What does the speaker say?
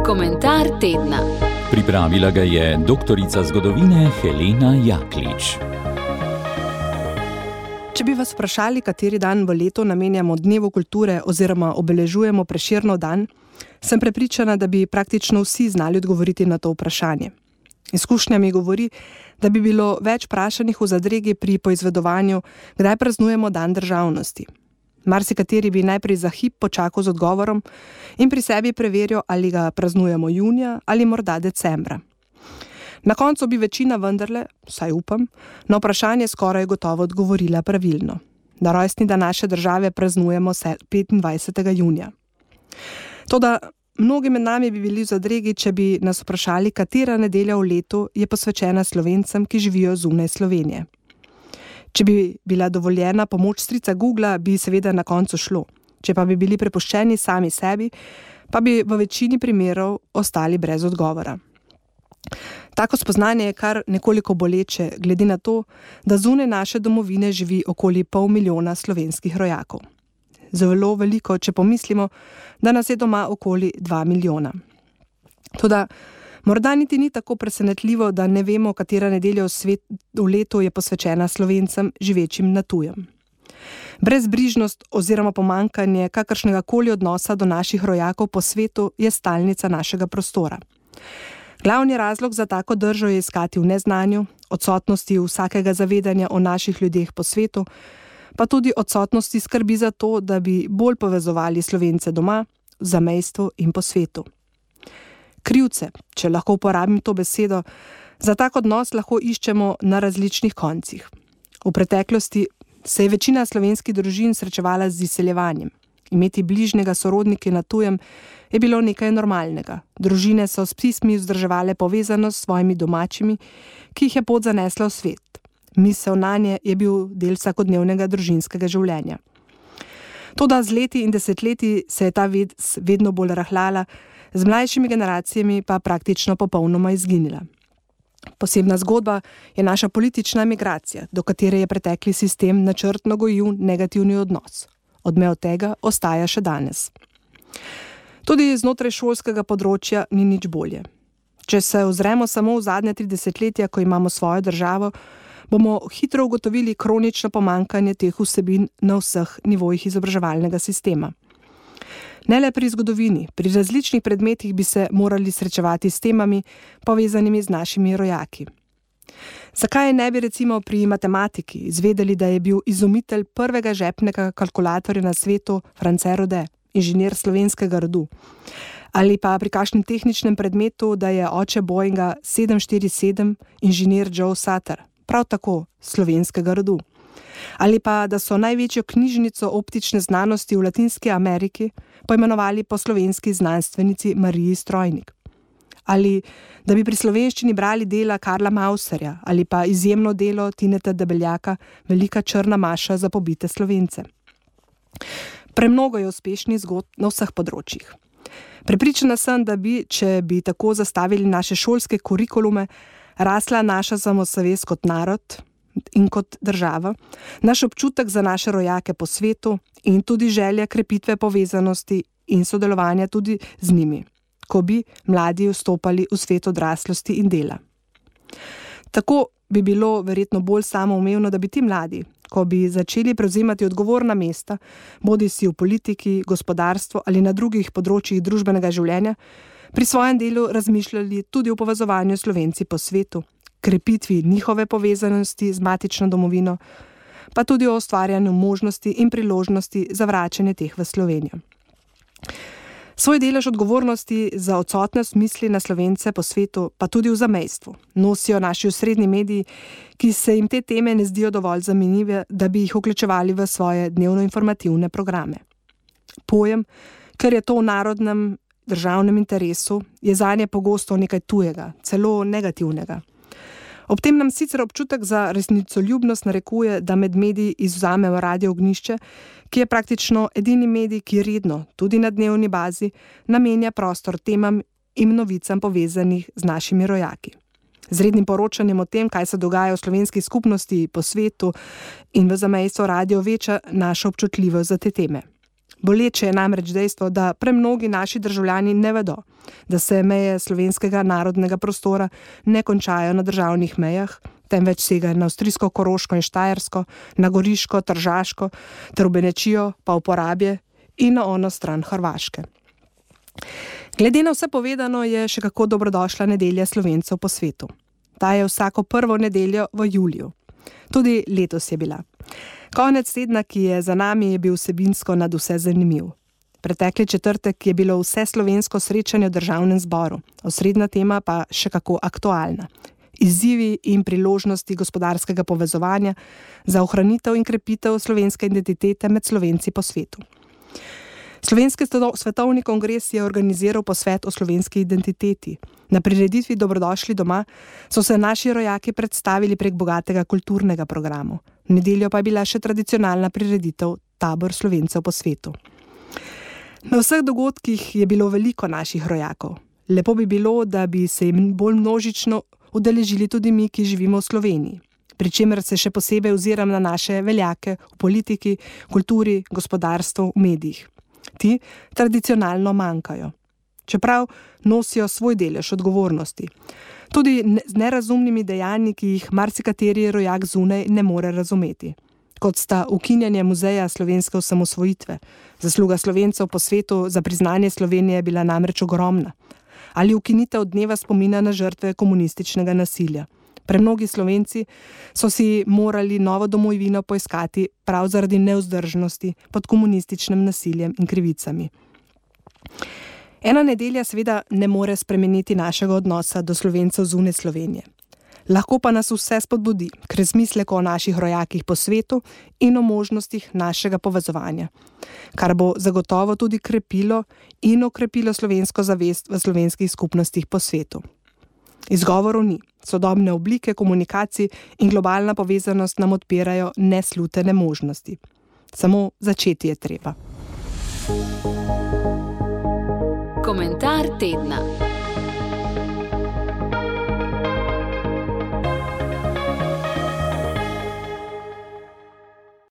Komentar tedna. Pripravila ga je doktorica zgodovine Helena Jaklič. Če bi vas vprašali, kateri dan v letu namenjamo Dnevu kulture oziroma obeležujemo Prešernov dan, sem prepričana, da bi praktično vsi znali odgovoriti na to vprašanje. Izkušnja mi govori, da bi bilo več vprašanih v zadregi pri poizvedovanju, kdaj praznujemo dan državnosti. Marsikateri bi najprej za hip počakal z odgovorom in pri sebi preveril, ali ga praznujemo junija ali morda decembra. Na koncu bi večina vendarle, vsaj upam, na vprašanje skoraj gotovo odgovorila pravilno. Na rojstni dan naše države praznujemo 25. junija. Toda mnogi med nami bi bili v zadregi, če bi nas vprašali, katera nedelja v letu je posvečena Slovencem, ki živijo zunaj Slovenije. Če bi bila dovoljena pomoč strica Googla, bi seveda na koncu šlo. Če pa bi bili prepuščeni sami sebi, pa bi v večini primerov ostali brez odgovora. Tako spoznanje je kar nekoliko boleče, glede na to, da zunaj naše domovine živi okoli 500 000 slovenskih rojakov. Zelo veliko, če pomislimo, da nas je doma okoli 2 milijona. Toda morda niti ni tako presenetljivo, da ne vemo, katera nedelja v letu je posvečena Slovencem živečim na tujem. Brezbrižnost oziroma pomanjkanje kakršnega koli odnosa do naših rojakov po svetu je stalnica našega prostora. Glavni razlog za tako držo je iskati v neznanju, odsotnosti vsakega zavedanja o naših ljudeh po svetu, pa tudi odsotnosti skrbi za to, da bi bolj povezovali Slovence doma, v zamejstvu in po svetu. Krivce, če lahko uporabim to besedo, za tak odnos lahko iščemo na različnih koncih. V preteklosti se je večina slovenskih družin srečevala z izseljevanjem. Imeti bližnjega sorodnika na tujem je bilo nekaj normalnega. Družine so s pismi vzdrževale povezanost s svojimi domačimi, ki jih je pot zanesla v svet. Misel nanje je bil del vsakodnevnega družinskega življenja. Toda z leti in desetletji se je ta vedno bolj rahljala, z mlajšimi generacijami pa praktično popolnoma izginila. Posebna zgodba je naša politična migracija, do katere je pretekli sistem načrtno gojil negativni odnos. Odmev tega ostaja še danes. Tudi znotraj šolskega področja ni nič bolje. Če se ozremo samo v zadnje 3 desetletja, ko imamo svojo državo, bomo hitro ugotovili kronično pomanjkanje teh vsebin na vseh nivojih izobraževalnega sistema. Ne le pri zgodovini, pri različnih predmetih bi se morali srečevati s temami, povezanimi z našimi rojaki. Zakaj ne bi recimo pri matematiki izvedeli, da je bil izumitelj prvega žepnega kalkulatorja na svetu France Rode, inženir slovenskega rodu? Ali pa pri kakšnem tehničnem predmetu, da je oče Boeinga 747 inženir Joe Sutter, prav tako slovenskega rodu? Ali pa da so največjo knjižnico optične znanosti v Latinski Ameriki poimenovali po slovenski znanstvenici Mariji Strojnik? Ali da bi pri slovenščini brali dela Karla Mauserja ali pa izjemno delo Tineta Debeljaka Velika črna maša za pobite Slovence. Premnogo je uspešnih zgodb na vseh področjih. Prepričana sem, da bi, če bi tako zastavili naše šolske kurikulume, rasla naša samozavest kot narod in kot država, naš občutek za naše rojake po svetu in tudi želja krepitve povezanosti in sodelovanja tudi z njimi, ko bi mladi vstopali v svet odraslosti in dela. Tako bi bilo verjetno bolj samoumevno, da bi ti mladi, ko bi začeli prevzemati odgovorna mesta, bodisi v politiki, gospodarstvu ali na drugih področjih družbenega življenja, pri svojem delu razmišljali tudi o povezovanju Slovenci po svetu, krepitvi njihove povezanosti z matično domovino, pa tudi o ustvarjanju možnosti in priložnosti za vračanje teh v Slovenijo. Svoj delež odgovornosti za odsotnost misli na Slovence po svetu, pa tudi v zamejstvu, nosijo naši osrednji mediji, ki se jim te teme ne zdijo dovolj zanimive, da bi jih vključevali v svoje dnevno-informativne programe. Pojem, ker je to v narodnem državnem interesu, je zanje pogosto nekaj tujega, celo negativnega. Ob tem nam sicer občutek za resnicoljubnost narekuje, da med mediji izvzamemo Radio Ognjišče, ki je praktično edini medij, ki redno, tudi na dnevni bazi, namenja prostor temam in novicam povezanih z našimi rojaki. Z rednim poročanjem o tem, kaj se dogaja v slovenski skupnosti po svetu in v zamejstvu radio veča našo občutljivost za te teme. Boleče je namreč dejstvo, da premnogi naši državljani ne vedo, da se meje slovenskega narodnega prostora ne končajo na državnih mejah, temveč segajo na avstrijsko, Koroško in Štajersko, na Goriško, Tržaško ter v Benečijo pa v Porabje in na ono stran Hrvaške. Glede na vse povedano je še kako dobrodošla nedelja Slovencev po svetu. Ta je vsako prvo nedeljo v juliju. Tudi letos je bila. Konec tedna, ki je za nami, je bil vsebinsko nadvse zanimiv. Pretekli četrtek je bilo vse slovensko srečanje v državnem zboru, osrednja tema pa še kako aktualna. Izzivi in priložnosti gospodarskega povezovanja za ohranitev in krepitev slovenske identitete med Slovenci po svetu. Slovenski svetovni kongres je organiziral posvet o slovenski identiteti. Na prireditvi Dobrodošli doma so se naši rojaki predstavili prek bogatega kulturnega programa. V nedeljo pa je bila še tradicionalna prireditev Tabor Slovencev po svetu. Na vseh dogodkih je bilo veliko naših rojakov. Lepo bi bilo, da bi se jim bolj množično udeležili tudi mi, ki živimo v Sloveniji. Pri čemer se še posebej oziram na naše veljake v politiki, kulturi, gospodarstvu, v medijih. Ti tradicionalno manjkajo. Čeprav nosijo svoj delež odgovornosti. Tudi z nerazumnimi dejanji, ki jih marsikateri rojak zunaj ne more razumeti. Kot sta ukinjanje muzeja slovenske osamosvojitve. Zasluga Slovencev po svetu za priznanje Slovenije je bila namreč ogromna. Ali ukinitev dneva spomina na žrtve komunističnega nasilja. Premnogi Slovenci so si morali novo domovino poiskati prav zaradi nevzdržnosti pod komunističnim nasiljem in krivicami. Ena nedelja seveda ne more spremeniti našega odnosa do Slovencev zunaj Slovenije. Lahko pa nas vse spodbudi k razmisleku o naših rojakih po svetu in o možnostih našega povezovanja, kar bo zagotovo tudi krepilo in okrepilo slovensko zavest v slovenskih skupnostih po svetu. Izgovorov ni. Sodobne oblike komunikacij in globalna povezanost nam odpirajo neslutene možnosti. Samo začeti je treba. Komentar tedna.